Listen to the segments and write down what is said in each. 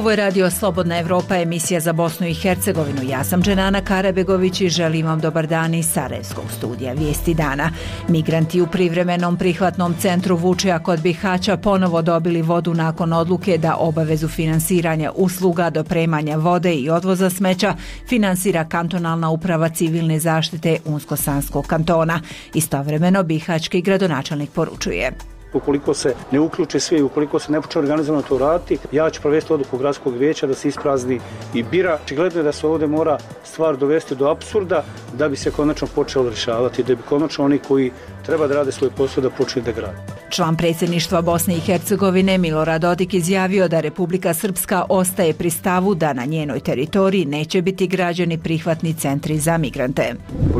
Ovo je Radio Slobodna Evropa, emisija za Bosnu i Hercegovinu. Ja sam Dženana Karabegović i želim vam dobar dan iz Sarajevskog studija Vijesti dana. Migranti u privremenom prihvatnom centru Vučija kod Bihaća ponovo dobili vodu nakon odluke da obavezu finansiranja usluga, dopremanja vode i odvoza smeća finansira kantonalna uprava civilne zaštite Unsko-Sanskog kantona. Istovremeno bihaćki gradonačelnik poručuje: ukoliko se ne uključe svi, ukoliko se ne počne organizovano to raditi, ja ću provesti odluku gradskog vijeća da se isprazni i bira. Očigledno je da se ovdje mora stvar dovesti do apsurda da bi se konačno počelo rješavati, da bi konačno oni koji treba da rade svoj posao da počne da grade. Član predsjedništva Bosne i Hercegovine Milorad Dodik izjavio da Republika Srpska ostaje pri stavu da na njenoj teritoriji neće biti građeni prihvatni centri za migrante.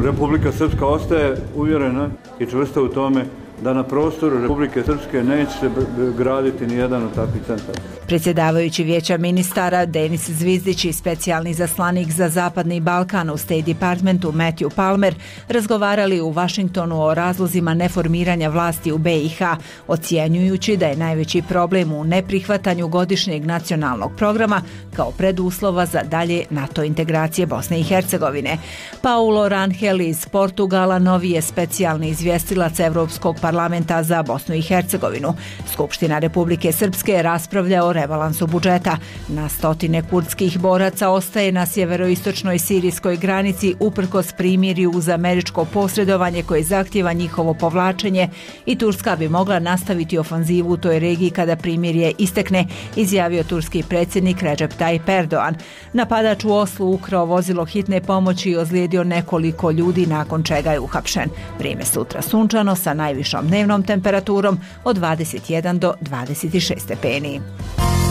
Republika Srpska ostaje uvjerena i čvrsta u tome da na prostoru Republike Srpske neće se graditi ni jedan od takvih centara. Predsjedavajući vijeća ministara Denis Zvizdić i specijalni izaslanik za Zapadni Balkan u State Departmentu Matthew Palmer razgovarali u Vašingtonu o razlozima neformiranja vlasti u BiH, ocjenjujući da je najveći problem u neprihvatanju godišnjeg nacionalnog programa kao preduslova za dalje NATO integracije Bosne i Hercegovine. Paulo Rangel iz Portugala novi je specijalni izvjestilac Evropskog parlamenta za Bosnu i Hercegovinu. Skupština Republike Srpske raspravlja o rebalansu budžeta. Na stotine kurdskih boraca ostaje na sjeveroistočnoj sirijskoj granici uprkos primirju uz američko posredovanje koje zahtijeva njihovo povlačenje i Turska bi mogla nastaviti ofanzivu u toj regiji kada primirje istekne, izjavio turski predsjednik Recep Tayyip Erdogan. Napadač u Oslu ukrao vozilo hitne pomoći i ozlijedio nekoliko ljudi, nakon čega je uhapšen. Vrijeme sutra sunčano sa najvišom dnevnom temperaturom od 21 do 26 stepeni.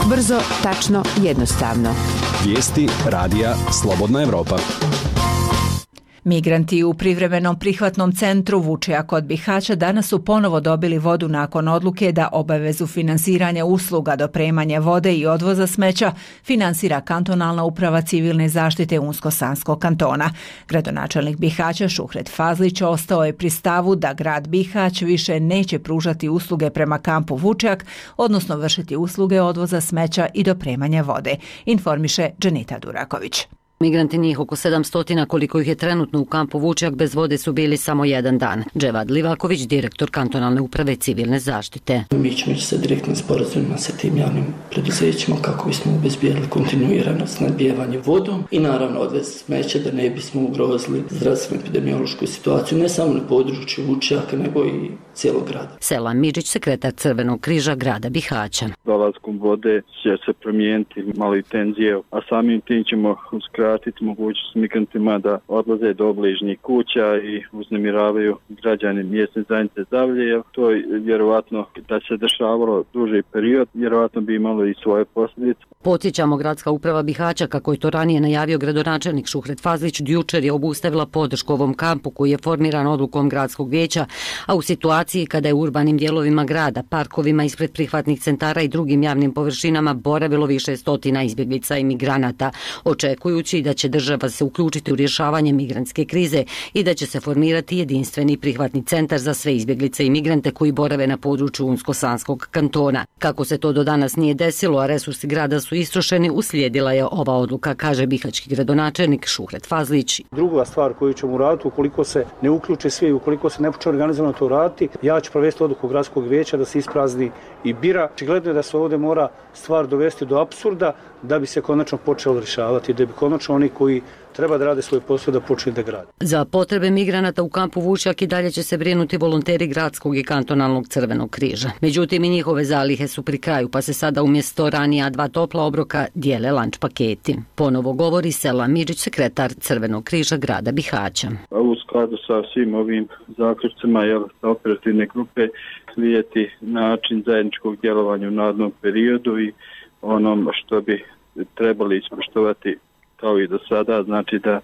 Brzo, tačno, jednostavno. Vijesti Radija Slobodna Evropa. Migranti u privremenom prihvatnom centru Vučija kod Bihaća danas su ponovo dobili vodu nakon odluke da obavezu finansiranja usluga, dopremanja vode i odvoza smeća finansira kantonalna uprava civilne zaštite Unsko-Sanskog kantona. Gradonačelnik Bihaća Šuhret Fazlić ostao je pri stavu da grad Bihać više neće pružati usluge prema kampu Vučjak, odnosno vršiti usluge odvoza smeća i dopremanja vode, informiše Dženita Duraković. Migranti, njih oko 700 koliko ih je trenutno u kampu Vučjak, bez vode su bili samo jedan dan. Dževad Livaković, direktor kantonalne uprave civilne zaštite. Mi ćemo ići sa direktnim sporazumima sa tim javnim preduzećima kako bismo obezbijeli kontinuirano snabdijevanje vodom i naravno odvez smeća da ne bismo ugrozili zdravstvenu epidemiološku situaciju ne samo na području Vučjaka nego i cijelog grada. Selam Midžić, sekretar Crvenog križa grada Bihaća. Dolaskom vode će se promijeniti malo i tenzije, a samim tim ćemo uskratiti mogućnost migrantima da odlaze do obližnjih kuća i uznemiravaju građani mjesne zajednice Zavlje. To je vjerovatno da se dešavalo duži period, vjerovatno bi imalo i svoje posljedice. Podsjećamo, gradska uprava Bihaća, kako je to ranije najavio gradonačelnik Šuhret Fazlić, jučer je obustavila podršku ovom kampu koji je formiran odlukom gradskog vijeća, a u situaciji kada je u urbanim dijelovima grada, parkovima ispred prihvatnih centara i drugim javnim površinama boravilo više stotina izbjeglica i migranata, očekujući da će država se uključiti u rješavanje migrantske krize i da će se formirati jedinstveni prihvatni centar za sve izbjeglice i migrante koji borave na području Unsko-Sanskog kantona. Kako se to do danas nije desilo, a resursi grada su istrošeni, uslijedila je ova odluka, kaže bihaćki gradonačelnik Šuhret Fazlić. Druga stvar koju ćemo uraditi, ukoliko se ne uključe svi, ukoliko se ne počne organizovano to raditi, ja ću provesti odluku gradskog vijeća da se isprazni i bira. Očigledno je da se ovdje mora stvar dovesti do apsurda da bi se konačno počelo rješavati, da bi konačno oni koji treba da rade svoj posao da počne da grade. Za potrebe migranata u kampu Vučjak i dalje će se brinuti volonteri gradskog i kantonalnog Crvenog križa. Međutim, i njihove zalihe su pri kraju, pa se sada umjesto ranija 2 topla obroka dijele lanč paketi. Ponovo govori Selam Midžić, sekretar Crvenog križa grada Bihaća. U skladu sa svim ovim zaključcima sa operativne grupe slijeti način zajedničkog djelovanja u narednom periodu i onom što bi trebali ispoštovati kao i do sada, znači da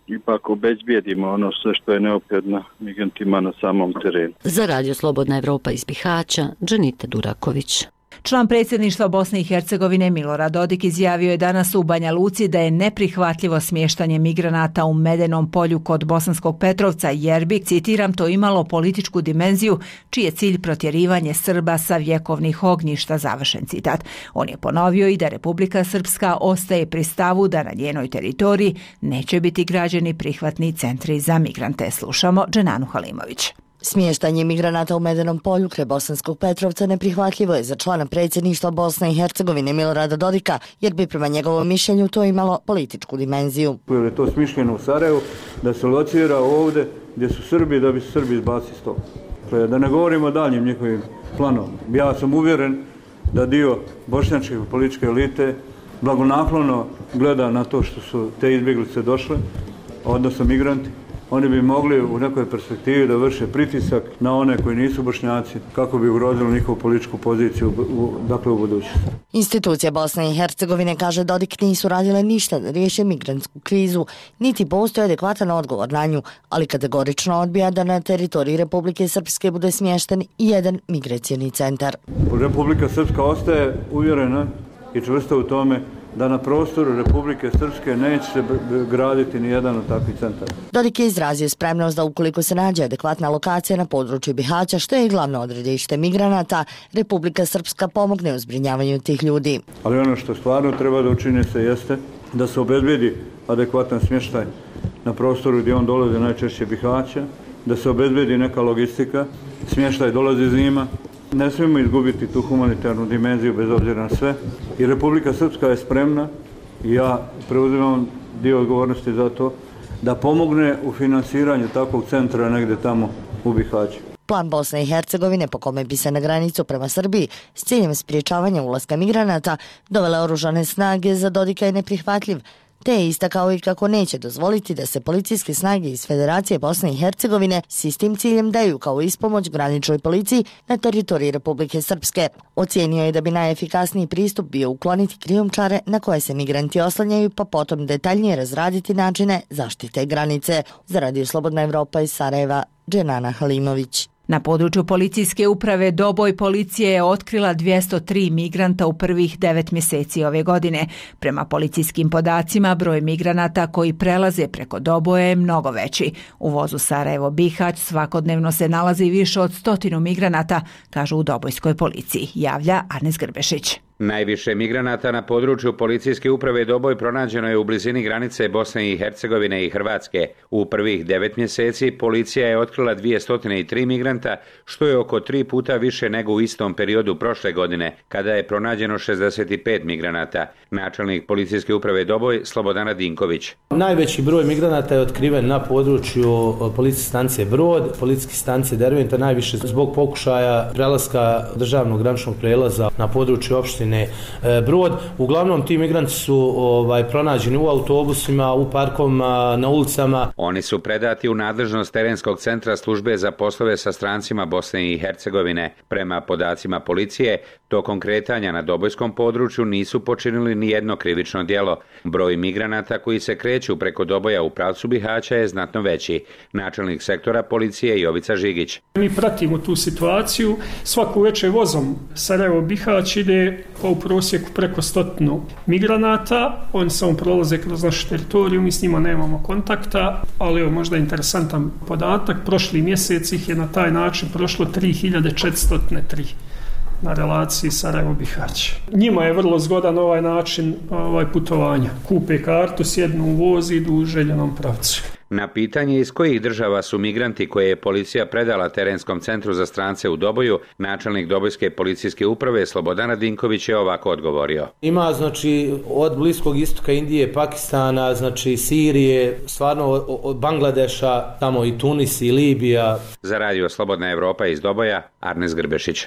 ipak obezbijedimo ono sve što je neophodno migrantima na samom terenu. Za Radio Slobodna Evropa iz Bihaća, Dženita Duraković. Član predsjedništva Bosne i Hercegovine Milorad Dodik izjavio je danas u Banja Luci da je neprihvatljivo smještanje migranata u Medenom polju kod Bosanskog Petrovca jer bi, citiram, to imalo političku dimenziju čiji je cilj protjerivanje Srba sa vjekovnih ognjišta, završen citat. On je ponovio i da Republika Srpska ostaje pri stavu da na njenoj teritoriji neće biti građeni prihvatni centri za migrante. Slušamo Dženanu Halimović. Smještanje migranata u Medenom polju kraj Bosanskog Petrovca neprihvatljivo je za člana predsjedništva Bosne i Hercegovine Milorada Dodika, jer bi prema njegovom mišljenju to imalo političku dimenziju. Jer je to smišljeno u Sarajevu da se locira ovdje gdje su Srbi da bi se Srbi izbacili s toga. Da ne govorimo o daljnjim njihovim planovima. Ja sam uvjeren da dio bošnjačke političke elite blagonaklono gleda na to što su te izbjeglice došle, odnosno migranti. Oni bi mogli u nekoj perspektivi da vrše pritisak na one koji nisu Bošnjaci kako bi ugrozili njihovu političku poziciju u budućnosti. Institucija Bosne i Hercegovine, kaže Dodik, nisu radile ništa da riješe migrantsku krizu, niti postoji adekvatan odgovor na nju, ali kategorično odbija da na teritoriji Republike Srpske bude smješten i jedan migracioni centar. Republika Srpska ostaje uvjerena i čvrsta u tome da na prostoru Republike Srpske neće se graditi ni jedan od takvih centara. Dodik je izrazio spremnost da ukoliko se nađe adekvatna lokacija na području Bihaća, što je i glavno odredište migranata, Republika Srpska pomogne u zbrinjavanju tih ljudi. Ali ono što stvarno treba da učini se jeste da se obezbedi adekvatan smještaj na prostoru gdje on dolazi najčešće Bihaća, da se obezbedi neka logistika, smještaj dolazi zima. Ne smijemo izgubiti tu humanitarnu dimenziju bez obzira na sve i Republika Srpska je spremna i ja preuzimam dio odgovornosti za to da pomogne u financiranju takvog centra negdje tamo u Bihaću. Plan Bosne i Hercegovine po kome bi se na granicu prema Srbiji s ciljem spriječavanja ulaska migranata dovele oružane snage za Dodika je neprihvatljiv, te je istakao i kako neće dozvoliti da se policijske snage iz Federacije Bosne i Hercegovine s istim ciljem daju kao ispomoć graničnoj policiji na teritoriji Republike Srpske. Ocijenio je da bi najefikasniji pristup bio ukloniti krijumčare na koje se migranti oslanjaju, pa potom detaljnije razraditi načine zaštite granice. Za Radio Slobodna Evropa iz Sarajeva, Dženana Halimović. Na području policijske uprave Doboj policija je otkrila 203 migranta u prvih 9 mjeseci ove godine. Prema policijskim podacima, broj migranata koji prelaze preko Doboja je mnogo veći. U vozu Sarajevo-Bihać svakodnevno se nalazi više od 100 migranata, kažu u Dobojskoj policiji, javlja Arnes Grbešić. Najviše migranata na području policijske uprave Doboj pronađeno je u blizini granice Bosne i Hercegovine i Hrvatske. U prvih 9 mjeseci policija je otkrila 203 migranta, što je oko 3 puta više nego u istom periodu prošle godine, kada je pronađeno 65 migranata. Načelnik policijske uprave Doboj, Slobodan Dinković. Najveći broj migranata je otkriven na području policijske stanice Brod, policijske stanice Derventa, najviše zbog pokušaja prelaska državnog graničnog prelaza na području opštine Brod. Uglavnom ti migranti su pronađeni u autobusima, u parkovima, na ulicama. Oni su predati u nadležnost terenskog centra službe za poslove sa strancima Bosne i Hercegovine. Prema podacima policije, tokom kretanja na Dobojskom području nisu počinili ni jedno krivično djelo. Broj migranata koji se kreću preko Doboja u pravcu Bihaća je znatno veći. Načelnik sektora policije Jovica Žigić. Mi pratimo tu situaciju. Svaku večer vozom Sarajevo-Bihać ide u prosjeku preko 100 migranata. Oni samo prolaze kroz našu teritoriju, mi s njima nemamo kontakta, ali je možda interesantan podatak. Prošli mjesec ih je na taj način prošlo 3403 na relaciji Sarajevo-Bihać. Njima je vrlo zgodan ovaj način putovanja. Kupe kartu, sjednu u voz i idu u željenom pravcu. Na pitanje iz kojih država su migranti koje je policija predala terenskom centru za strance u Doboju, načelnik Dobojske policijske uprave Slobodan Dinković je ovako odgovorio. Ima od Bliskog istoka, Indije, Pakistana, Sirije, stvarno od Bangladeša, tamo i Tunis i Libija. Za Radio Slobodna Evropa iz Doboja, Arnes Grbešić.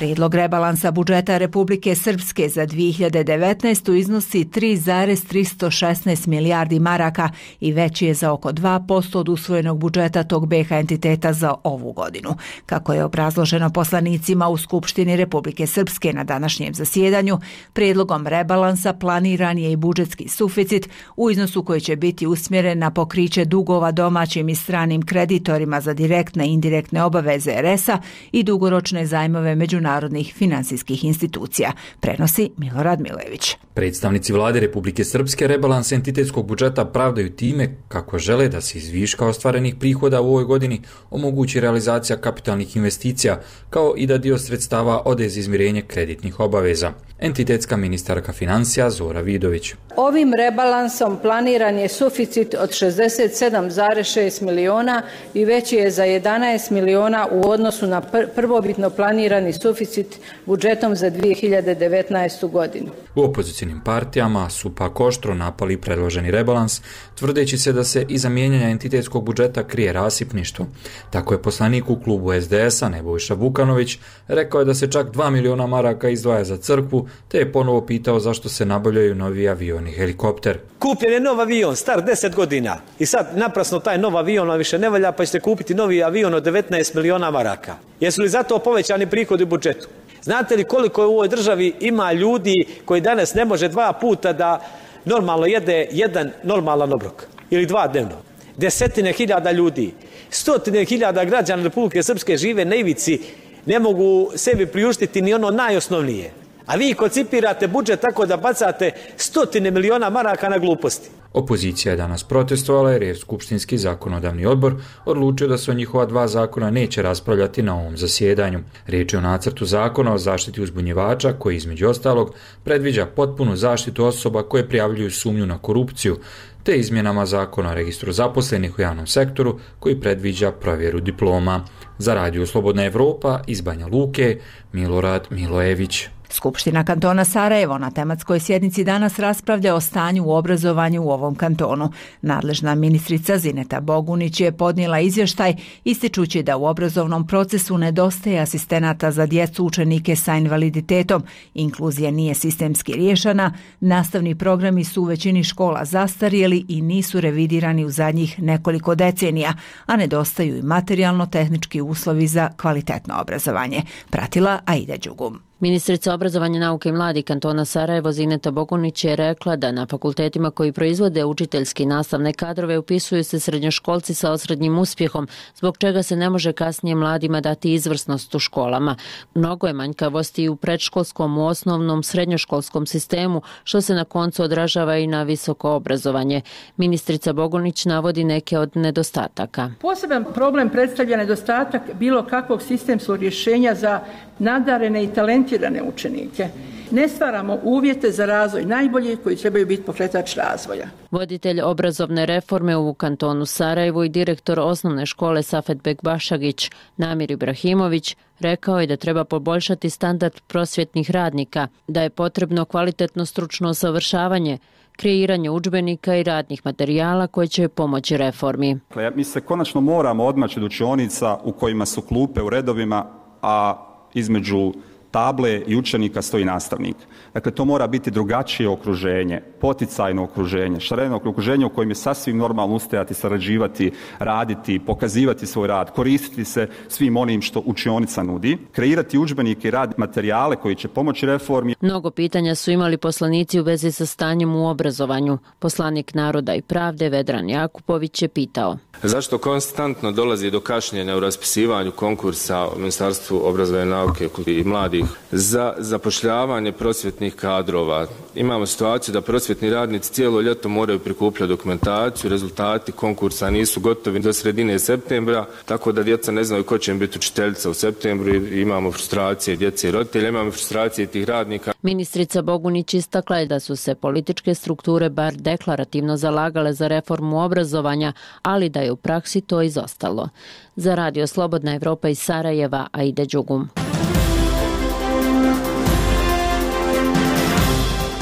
Prijedlog rebalansa budžeta Republike Srpske za 2019. iznosi 3,316 milijardi maraka i veći je za oko 2% od usvojenog budžeta tog BiH entiteta za ovu godinu. Kako je obrazloženo poslanicima u Skupštini Republike Srpske na današnjem zasjedanju, prijedlogom rebalansa planiran je i budžetski suficit u iznosu koji će biti usmjeren na pokriće dugova domaćim i stranim kreditorima za direktne i indirektne obaveze RS-a i dugoročne zajmove međunarodnih finansijskih institucija, prenosi Milorad Milević. Predstavnici vlade Republike Srpske rebalans entitetskog budžeta pravdaju time kako žele da se iz viška ostvarenih prihoda u ovoj godini omogući realizacija kapitalnih investicija, kao i da dio sredstava ode za izmirenje kreditnih obaveza. Entitetska ministarka financija Zora Vidović. Ovim rebalansom planiran je suficit od 67,6 miliona i veći je za 11 miliona u odnosu na prvobitno planirani suficit budžetom za 2019. godinu. U opozicijnim partijama su pak oštro napali predloženi rebalans, tvrdeći se da se iza mijenjanja entitetskog budžeta krije rasipništvo. Tako je poslanik u klubu SDS-a Nebojša Vukanović rekao je da se čak 2 miliona maraka izdvaja za crkvu, te je ponovo pitao zašto se nabavljaju novi avion i helikopter. Kupljen je nov avion, star 10 godina i sad naprasno taj nov avion više ne valja, pa ćete kupiti novi avion od 19 miliona maraka. Jesu li zato povećani prihodi u budžetu? Znate li koliko u ovoj državi ima ljudi koji danas ne može 2 puta da normalno jede jedan normalan obrok ili 2 dnevno? 10.000 ljudi, 100.000 građana Republike Srpske žive na ivici, ne mogu sebi priuštiti ni ono najosnovnije. A vi koncipirate budžet tako da bacate 100 miliona maraka na gluposti. Opozicija je danas protestovala jer je Skupštinski zakonodavni odbor odlučio da se o njihova 2 zakona neće raspravljati na ovom zasjedanju. Riječ je o nacrtu zakona o zaštiti uzbunjivača koji između ostalog predviđa potpunu zaštitu osoba koje prijavljuju sumnju na korupciju, te izmjenama zakona o registru zaposlenih u javnom sektoru koji predviđa provjeru diploma. Za Radio Slobodna Evropa iz Banja Luke, Milorad Milojević. Skupština kantona Sarajevo na tematskoj sjednici danas raspravlja o stanju u obrazovanju u ovom kantonu. Nadležna ministrica Zineta Bogunić je podnijela izvještaj ističući da u obrazovnom procesu nedostaje asistenata za djecu učenike sa invaliditetom, inkluzija nije sistemski riješena, nastavni programi su u većini škola zastarjeli i nisu revidirani u zadnjih nekoliko decenija, a nedostaju i materijalno-tehnički uslovi za kvalitetno obrazovanje. Pratila Aida Đugum. Ministrica obrazovanja, nauke i mladih kantona Sarajevo Zineta Bogunić je rekla da na fakultetima koji proizvode učiteljski nastavne kadrove upisuju se srednjoškolci sa osrednjim uspjehom, zbog čega se ne može kasnije mladima dati izvrsnost u školama. Mnogo je manjkavosti i u predškolskom, u osnovnom, srednjoškolskom sistemu, što se na koncu odražava i na visoko obrazovanje. Ministrica Bogunić navodi neke od nedostataka. Poseban problem predstavlja nedostatak bilo kakvog sistemskog rješenja za nadarene i talentirane učenike. Ne stvaramo uvjete za razvoj najboljih koji trebaju biti pokretač razvoja. Voditelj obrazovne reforme u kantonu Sarajevo i direktor osnovne škole Safetbek Bašagić Namir Ibrahimović rekao je da treba poboljšati standard prosvjetnih radnika, da je potrebno kvalitetno stručno usavršavanje, kreiranje udžbenika i radnih materijala koji će pomoći reformi. Mi se konačno moramo odmaći od učionica u kojima su klupe u redovima, a između table i učenika stoji nastavnik. Dakle, to mora biti drugačije okruženje, poticajno okruženje, šareno okruženje u kojem je sasvim normalno ustajati, sarađivati, raditi, pokazivati svoj rad, koristiti se svim onim što učionica nudi, kreirati udžbenike i radne materijale koji će pomoći reformi. Mnogo pitanja su imali poslanici u vezi sa stanjem u obrazovanju. Poslanik Naroda i pravde Vedran Jakupović je pitao: zašto konstantno dolazi do kašnjenja u raspisivanju konkursa u Ministarstvu obrazovanja, nauke i mladih za zapošljavanje prosvjetnih kadrova? Imamo situaciju da prosvjetni radnici cijelo ljeto moraju prikupljati dokumentaciju, rezultati konkursa nisu gotovi do sredine septembra, tako da djeca ne znaju ko će im biti učiteljica u septembru i imamo frustracije djece i roditelja, imamo frustracije tih radnika. Ministrica Bogunić istakla je da su se političke strukture bar deklarativno zalagale za reformu obrazovanja, ali da je u praksi to izostalo. Za Radio Slobodna Evropa iz Sarajeva, Aida Đugum.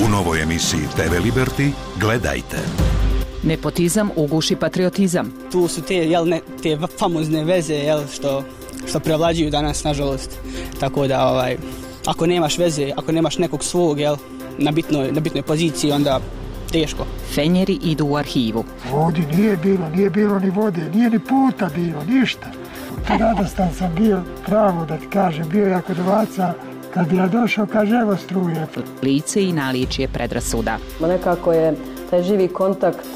U novoj emisiji TV Liberty gledajte. Nepotizam uguši patriotizam. Tu su te famozne veze što što prevlađuju danas, nažalost. Tako da ako nemaš veze, ako nemaš nekog svog, jel, na bitnoj poziciji, onda teško. Fenjeri idu u arhivu. Ovdje nije bilo ni vode, nije ni puta bilo, ništa. Radostan sam bio, pravo da ti kažem, bio jako dovaca. Kad ja došao, kaže, evo struje. Lice i naličje predrasuda. Nekako je taj živi kontakt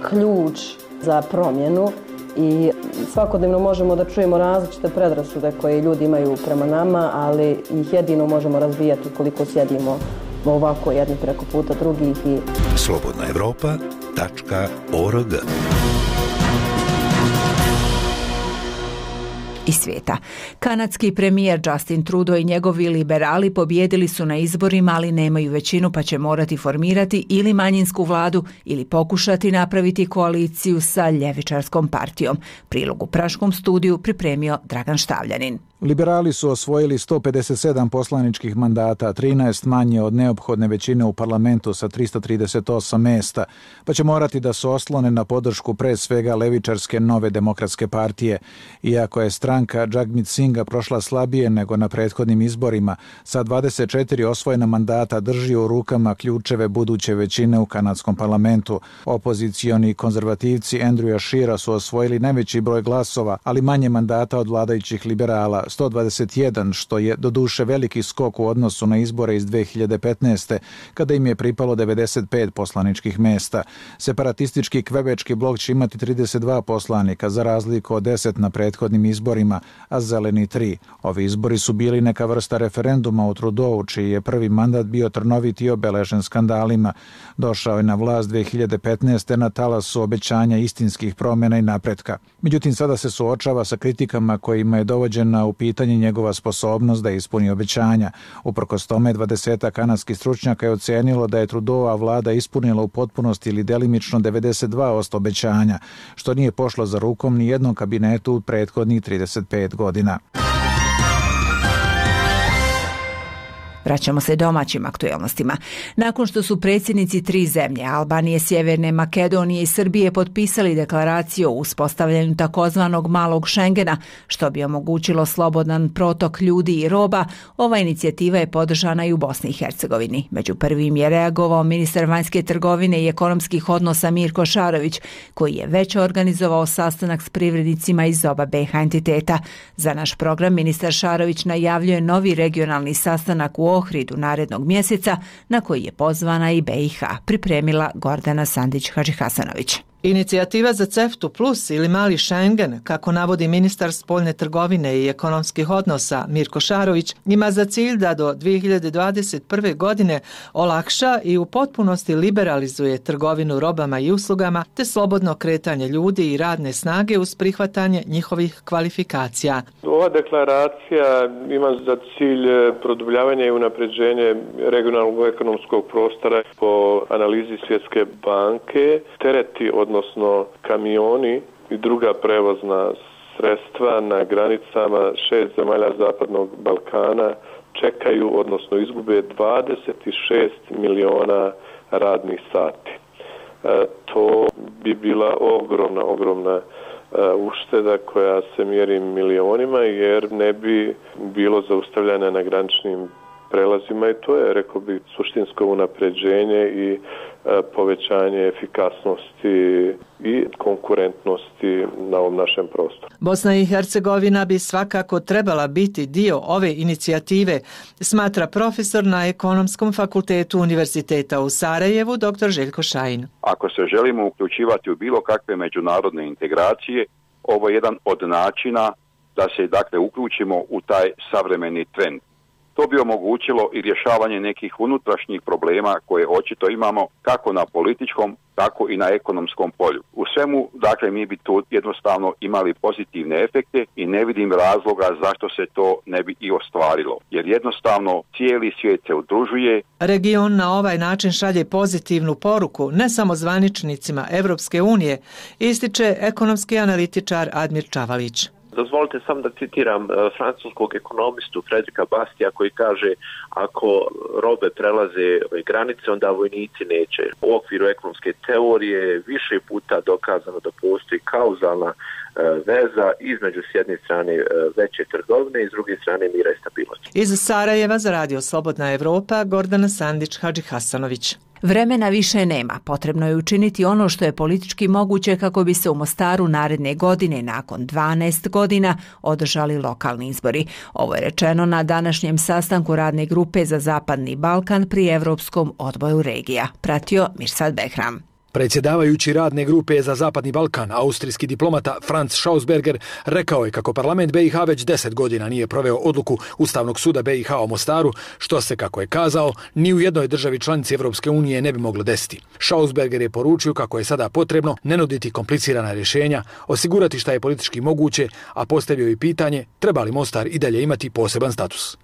ključ za promjenu i svakodnevno možemo da čujemo različite predrasude koje ljudi imaju prema nama, ali ih jedino možemo razvijati ukoliko sjedimo ovako jedni preko puta drugih. slobodnaevropa.org iz svijeta. Kanadski premijer Justin Trudeau i njegovi liberali pobijedili su na izborima, ali nemaju većinu pa će morati formirati ili manjinsku vladu ili pokušati napraviti koaliciju sa ljevičarskom partijom. Prilog u Praškom studiju pripremio Dragan Štavljanin. Liberali su osvojili 157 poslaničkih mandata, 13 manje od neophodne većine u parlamentu sa 338 mjesta, pa će morati da se oslone na podršku pre svega levičarske Nove demokratske partije. Iako je stranka Jagmeet Singha prošla slabije nego na prethodnim izborima, sa 24 osvojena mandata drži u rukama ključeve buduće većine u kanadskom parlamentu. Opozicioni konzervativci Andrewa Scheera su osvojili najveći broj glasova, ali manje mandata od vladajućih liberala, 121, što je doduše veliki skok u odnosu na izbore iz 2015. kada im je pripalo 95 poslaničkih mjesta. Separatistički kvebečki blok će imati 32 poslanika, za razliku od 10 na prethodnim izborima, a zeleni 3. Ovi izbori su bili neka vrsta referenduma u Trudeau, čiji je prvi mandat bio trnovit i obeležen skandalima. Došao je na vlast 2015. na talasu obećanja istinskih promjena i napretka. Međutim, sada se suočava sa kritikama kojima je dovođena u pitanje njegova sposobnost da ispuni obećanja. Uprkos tome, 20 kanadskih stručnjaka je ocenilo da je Trudeauova vlada ispunila u potpunosti ili delimično 92% obećanja, što nije pošlo za rukom ni jednom kabinetu u prethodnih 35 godina. Vraćamo se domaćim aktuelnostima. Nakon što su predsjednici 3 zemlje, Albanije, Sjeverne Makedonije i Srbije, potpisali deklaraciju o uspostavljanju takozvanog malog Schengena, što bi omogućilo slobodan protok ljudi i roba, ova inicijativa je podržana i u Bosni i Hercegovini. Među prvim je reagovao ministar vanjske trgovine i ekonomskih odnosa Mirko Šarović, koji je već organizovao sastanak s privrednicima iz oba BiH entiteta. Za naš program ministar Šarović najavljuje novi regionalni sastanak u Ohridu narednog mjeseca, na koji je pozvana i BiH, pripremila Gordana Sandić-Hadžihasanović. Inicijativa za CEFTA plus ili mali Schengen, kako navodi ministar spoljne trgovine i ekonomskih odnosa Mirko Šarović, ima za cilj da do 2021. godine olakša i u potpunosti liberalizuje trgovinu robama i uslugama te slobodno kretanje ljudi i radne snage uz prihvatanje njihovih kvalifikacija. Ova deklaracija ima za cilj produbljavanje i unapređenje regionalnog ekonomskog prostora. Po analizi Svjetske banke, tereti odnosno kamioni i druga prevozna sredstva na granicama 6 zemalja Zapadnog Balkana čekaju, odnosno izgube 26 miliona radnih sati. To bi bila ogromna ušteda koja se mjeri milionima, jer ne bi bilo zaustavljanja na graničnim prelazima i to je, rekao bih, suštinsko unapređenje i povećanje efikasnosti i konkurentnosti na ovom našem prostoru. Bosna i Hercegovina bi svakako trebala biti dio ove inicijative, smatra profesor na Ekonomskom fakultetu Univerziteta u Sarajevu, dr. Željko Šajin. Ako se želimo uključivati u bilo kakve međunarodne integracije, ovo je jedan od načina da se uključimo u taj savremeni trend. To bi omogućilo i rješavanje nekih unutrašnjih problema koje očito imamo kako na političkom, tako i na ekonomskom polju. U svemu, mi bi tu jednostavno imali pozitivne efekte i ne vidim razloga zašto se to ne bi i ostvarilo. Jer jednostavno cijeli svijet se udružuje. Region na ovaj način šalje pozitivnu poruku ne samo zvaničnicima Evropske unije, ističe ekonomski analitičar Admir Čavalić. Dozvolite sam da citiram francuskog ekonomistu Fredrika Bastija koji kaže ako robe prelaze granice, onda vojnici neće. U okviru ekonomske teorije više puta dokazano da postoji kauzalna veza između s jedne strane veće trgovine i s druge strane mira i stabilnosti. Iz Sarajeva za Radio Slobodna Evropa, Gordana Sandić, Hadži Hasanović. Vremena više nema. Potrebno je učiniti ono što je politički moguće kako bi se u Mostaru naredne godine, nakon 12 godina, održali lokalni izbori. Ovo je rečeno na današnjem sastanku radne grupe za Zapadni Balkan pri Evropskom odboru regija. Pratio Mirsad Behram. Predsjedavajući radne grupe za Zapadni Balkan, austrijski diplomata Franz Schausberger, rekao je kako parlament BiH već 10 godina nije proveo odluku Ustavnog suda BiH o Mostaru, što se, kako je kazao, ni u jednoj državi članici Evropske unije ne bi moglo desiti. Schausberger je poručio kako je sada potrebno ne nuditi komplicirana rješenja, osigurati šta je politički moguće, a postavio i pitanje treba li Mostar i dalje imati poseban status.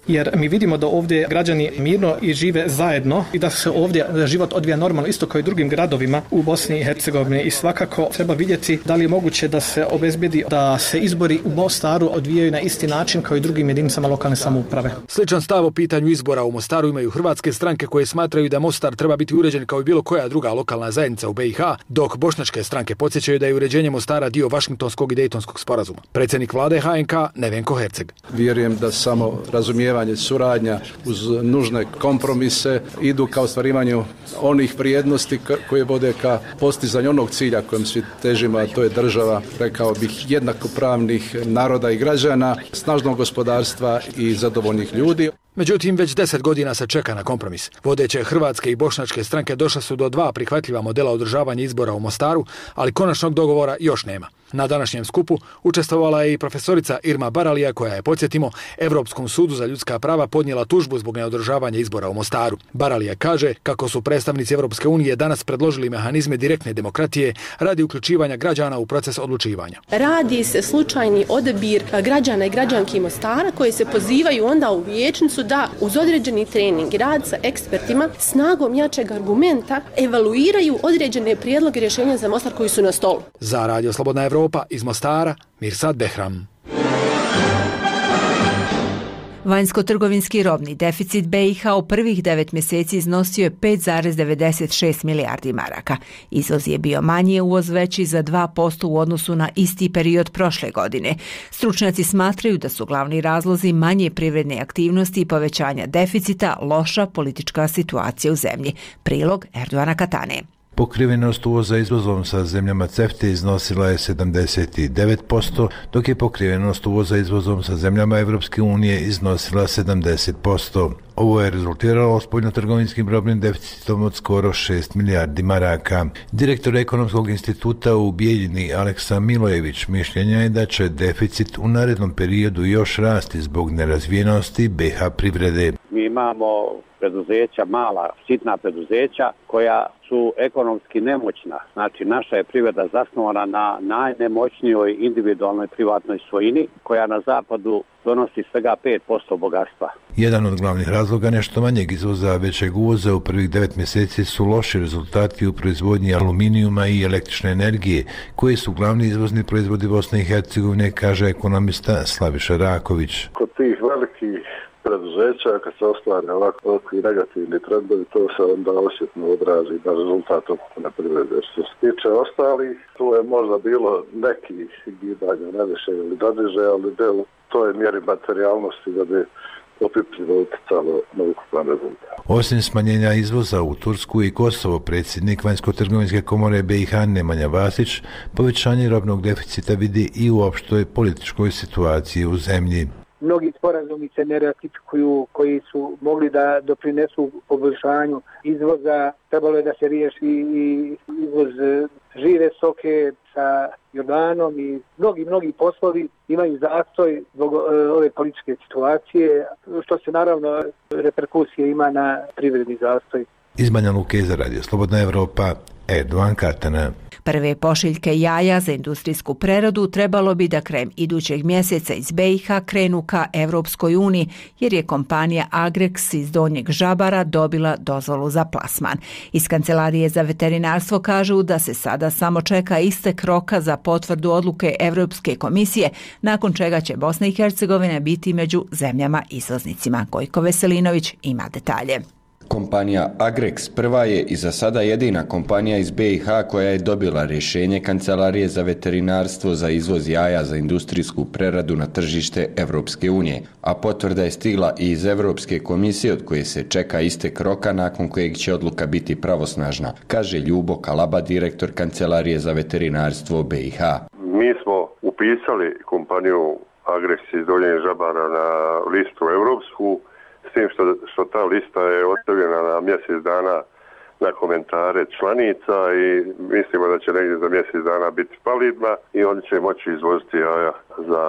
Jer mi vidimo da ovdje građani mirno i žive zajedno i da se ovdje život odvija normalno isto kao i drugim gradovima u Bosni i Hercegovini i svakako treba vidjeti da li je moguće da se obezbedi da se izbori u Mostaru odvijaju na isti način kao i drugim jedinicama lokalne samouprave. Sličan stav o pitanju izbora u Mostaru imaju hrvatske stranke koje smatraju da Mostar treba biti uređen kao i bilo koja druga lokalna zajednica u BiH, dok bošnjačke stranke podsjećaju da je uređenje Mostara dio Vašingtonskog i Dejtonskog sporazuma. Predsjednik vlade HNK Nevenko Herceg. Vjerujem da samo razumijevanje, suradnja uz nužne kompromise idu ka ostvarivanju onih vrijednosti koje vode ka postizanju onog cilja kojem svi težimo, a to je država, rekao bih, jednakopravnih naroda i građana, snažnog gospodarstva i zadovoljnih ljudi. Međutim, već 10 godina se čeka na kompromis. Vodeće hrvatske i bošnjačke stranke došle su do 2 prihvatljiva modela održavanja izbora u Mostaru, ali konačnog dogovora još nema. Na današnjem skupu učestvovala je i profesorica Irma Baralija koja je, podsjetimo, Europskom sudu za ljudska prava podnijela tužbu zbog neodržavanja izbora u Mostaru. Baralija kaže kako su predstavnici Europske unije danas predložili mehanizme direktne demokratije radi uključivanja građana u proces odlučivanja. Radi se slučajni odabir građana i građanki Mostara koji se pozivaju onda u vijećnicu da uz određeni trening, rad sa ekspertima, snagom jačeg argumenta evaluiraju određene prijedloge rješenja za Mostar koji su na stolu. Za Radio Slobodna Evropa iz Mostara, Mirsad Behram. Vanjsko-trgovinski robni deficit BiH u prvih 9 mjeseci iznosio je 5,96 milijardi maraka. Izvoz je bio manji, uvoz veći za 2% u odnosu na isti period prošle godine. Stručnjaci smatraju da su glavni razlozi manje privredne aktivnosti i povećanja deficita loša politička situacija u zemlji. Prilog Erdoana Katane. Pokrivenost uvoza izvozom sa zemljama CEFTA iznosila je 79%, dok je pokrivenost uvoza izvozom sa zemljama Evropske unije iznosila 70%. Ovo je rezultiralo spoljnotrgovinskim robnim deficitom od skoro 6 milijardi maraka. Direktor Ekonomskog instituta u Bijeljini Aleksa Milojević mišljenja je da će deficit u narednom periodu još rasti zbog nerazvijenosti BiH privrede. Mi imamo preduzeća, mala, sitna preduzeća koja su ekonomski nemoćna. Znači, naša je privreda zasnovana na najnemoćnijoj individualnoj privatnoj svojini koja na zapadu donosi svega 5% bogatstva. Jedan od glavnih razloga nešto manjeg izvoza, većeg uvoza u prvih 9 mjeseci su loši rezultati u proizvodnji aluminijuma i električne energije, koji su glavni izvozni proizvodi Bosne i Hercegovine, kaže ekonomista Slaviša Raković. Kod tih velikih preduzeća, kad se ostvare ovakvi negativni trendovi, to se onda osjetno odrazi na rezultatu na privrede. Što se tiče ostalih, tu je možda bilo nekih gibanja na više ili doniže, ali del toj mjeri materijalnosti da bi opipljivo utjecalo na ukupan rezultat. Osim smanjenja izvoza u Tursku i Kosovo, predsjednik Vanjsko-trgovinske komore BiH Nemanja Vasić povećanje robnog deficita vidi i u opštoj političkoj situaciji u zemlji. Mnogi sporazumi se ne ratifikuju koji su mogli da doprinesu poboljšanju izvoza. Trebalo je da se riješi i izvoz žive stoke sa Jordanom i mnogi poslovi imaju zastoj zbog ove političke situacije, što se naravno reperkusije ima na privredni zastoj. Iz Banja Luke za Radio Slobodna Evropa, Erdoan Katana. Prve pošiljke jaja za industrijsku preradu trebalo bi da krajem idućeg mjeseca iz BiH krenu ka Evropskoj uniji, jer je kompanija Agrex iz Donjeg Žabara dobila dozvolu za plasman. Iz Kancelarije za veterinarstvo kažu da se sada samo čeka istek roka za potvrdu odluke Evropske komisije, nakon čega će Bosna i Hercegovina biti među zemljama izvoznicima. Gojko Veselinović ima detalje. Kompanija Agrex prva je i za sada jedina kompanija iz BiH koja je dobila rješenje Kancelarije za veterinarstvo za izvoz jaja za industrijsku preradu na tržište Evropske unije, a potvrda je stigla i iz Evropske komisije od koje se čeka istek roka nakon kojeg će odluka biti pravosnažna, kaže Ljubo Kalaba, direktor Kancelarije za veterinarstvo BiH. Mi smo upisali kompaniju Agrex iz Donjeg Žabara na listu evropsku, s tim što ta lista je ostavljena na mjesec dana na komentare članica i mislimo da će negdje za mjesec dana biti validna i oni će moći izvoziti jaja za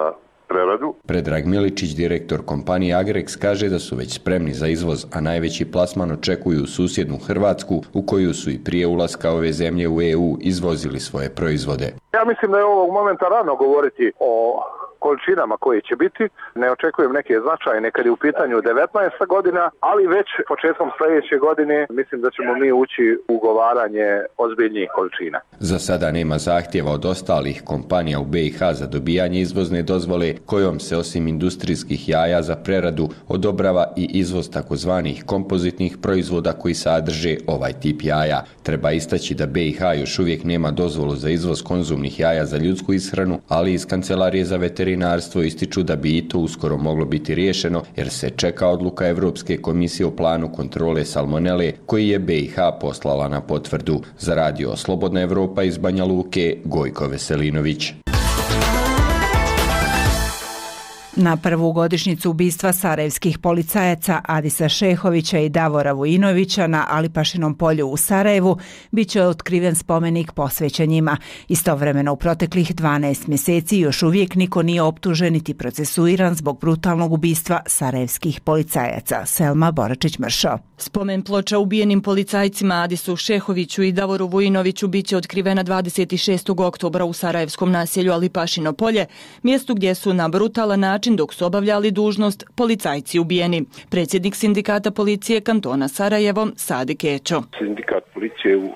preradu. Predrag Miličić, direktor kompanije Agrex, kaže da su već spremni za izvoz, a najveći plasman očekuju susjednu Hrvatsku, u koju su i prije ulaska ove zemlje u EU izvozili svoje proizvode. Ja mislim da je ovog momenta rano govoriti o količinama koje će biti. Ne očekujem neke značajne kad je u pitanju 19. godina, ali već početkom sljedeće godine mislim da ćemo mi ući u ugovaranje ozbiljnijih količina. Za sada nema zahtjeva od ostalih kompanija u BiH za dobijanje izvozne dozvole, kojom se osim industrijskih jaja za preradu odobrava i izvoz takozvanih kompozitnih proizvoda koji sadrže ovaj tip jaja. Treba istaći da BiH još uvijek nema dozvolu za izvoz konzumnih jaja za ljudsku ishranu, ali iz Kancelarije za veterinarstvo ističu da bi i to uskoro moglo biti riješeno, jer se čeka odluka Evropske komisije o planu kontrole salmonele koji je BiH poslala na potvrdu. Za radio Slobodna Evropa iz Banja Luke, Gojko Veselinović. Na prvu godišnjicu ubistva sarajevskih policajaca Adisa Šehovića i Davora Vujinovića na Alipašinom polju u Sarajevu bit će otkriven spomenik posvećen njima. Istovremeno u proteklih 12 mjeseci još uvijek niko nije optužen niti procesuiran zbog brutalnog ubistva sarajevskih policajaca. Selma Boračić-Mršo. Spomen ploča ubijenim policajcima Adisu Šehoviću i Davoru Vujinoviću bit će otkrivena 26. oktobra u sarajevskom naselju Alipašino polje, mjestu gdje su na brutalan način dok su obavljali dužnost policajci ubijeni. Predsjednik sindikata policije kantona Sarajevo, Sadi Kećo. Sindikat policije u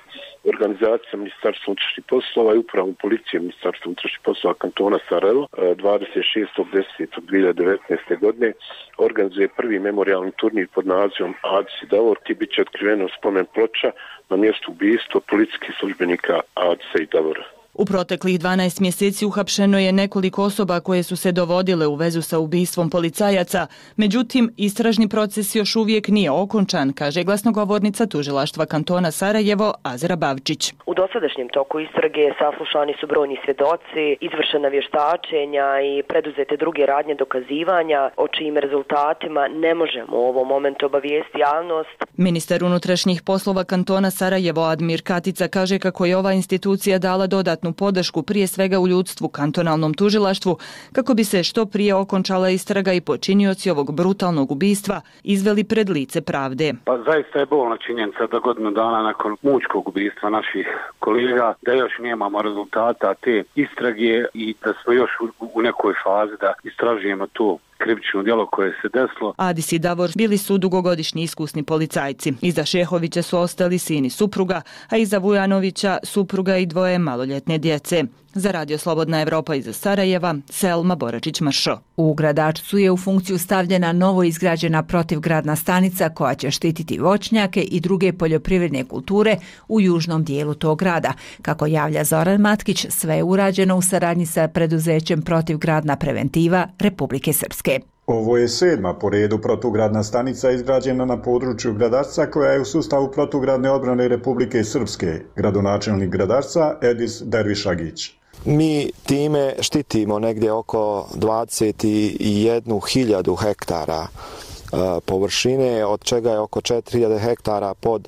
organizaciji Ministarstva unutrašnjih poslova i upravom policije Ministarstva unutrašnjih poslova kantona Sarajevo 26.10.2019. godine organizuje prvi memorijalni turnir pod nazivom Adis i Davor, gdje bit će otkriveno spomen ploča na mjestu ubistva policijskih službenika Adisa i Davora. U proteklih 12 mjeseci uhapšeno je nekoliko osoba koje su se dovodile u vezu sa ubistvom policajaca, međutim, istražni proces još uvijek nije okončan, kaže glasnogovornica tužilaštva kantona Sarajevo, Azra Bavčić. U dosadašnjem toku istrage saslušani su brojni svjedoci, izvršena vještačenja i preduzete druge radnje dokazivanja, o čijim rezultatima ne možemo u ovom momentu obavijesti javnost. Ministar unutrašnjih poslova kantona Sarajevo, Admir Katica, kaže kako je ova institucija dala dodatnu podršku prije svega u ljudstvu kantonalnom tužilaštvu kako bi se što prije okončala istraga i počinioci ovog brutalnog ubistva izveli pred lice pravde. Pa zaista je bolna činjenica da godinu dana nakon mučkog ubistva naših kolega da još nemamo rezultata te istrage i da smo još u nekoj fazi da istražujemo to krivično djelo koje se desilo. Adis i Davor bili su dugogodišnji iskusni policajci. Iza Šehovića su ostali sini supruga, a iza Vujanovića supruga i dvoje maloljetne djece. Za radio Slobodna Evropa iz Sarajeva, Selma Boračić-Mršo. U Gradačcu je u funkciju stavljena novo izgrađena protivgradna stanica koja će štititi voćnjake i druge poljoprivredne kulture u južnom dijelu tog grada. Kako javlja Zoran Matkić, sve je urađeno u saradnji sa preduzećem Protivgradna preventiva Republike Srpske. Ovo je 7. po redu protugradna stanica izgrađena na području Gradačca koja je u sustavu protugradne odbrane Republike Srpske, gradonačelnik Gradačca Edis Dervišagić. Mi time štitimo negdje oko 21.000 hektara površine, od čega je oko 4.000 hektara pod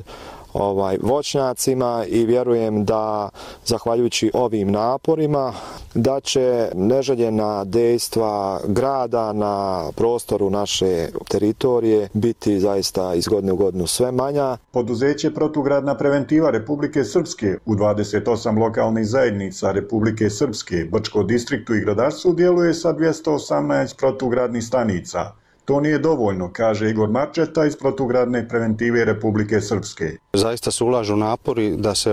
voćnjacima i vjerujem da zahvaljujući ovim naporima da će neželjena dejstva grada na prostoru naše teritorije biti zaista iz godine u godinu sve manja. Poduzeće Protugradna preventiva Republike Srpske u 28 lokalnih zajednica Republike Srpske, Brčko distriktu i Gradarstvu djeluje sa 218 protugradnih stanica. To nije dovoljno, kaže Igor Marčeta iz Protugradne preventive Republike Srpske. Zaista se ulažu napori da se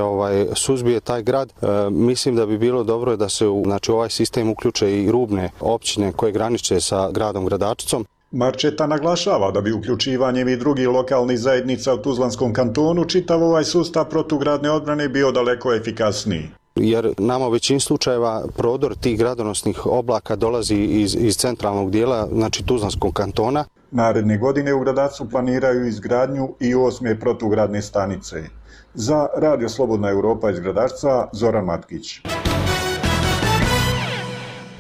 suzbije taj grad. Mislim da bi bilo dobro da se u ovaj sistem uključe i rubne općine koje graniče sa gradom Gradačicom. Marčeta naglašava da bi uključivanjem i drugih lokalnih zajednica u Tuzlanskom kantonu čitav ovaj sustav protugradne odbrane bio daleko efikasniji. Jer nama u većini slučajeva prodor tih gradonosnih oblaka dolazi iz centralnog dijela, znači Tuzlanskog kantona. Naredne godine u Gradacu planiraju izgradnju i 8. protugradne stanice. Za Radio Slobodna Europa iz Gradarca, Zoran Matkić.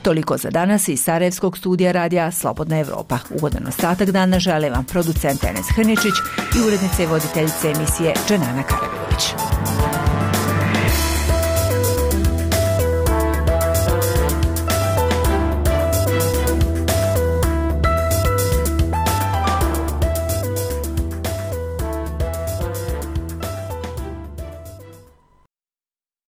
Toliko za danas iz Sarajevskog studija radija Slobodna Evropa. Ugodan ostatak dana žele vam producent Enes Hrničić i urednice i voditeljice emisije Dženana Karavilović.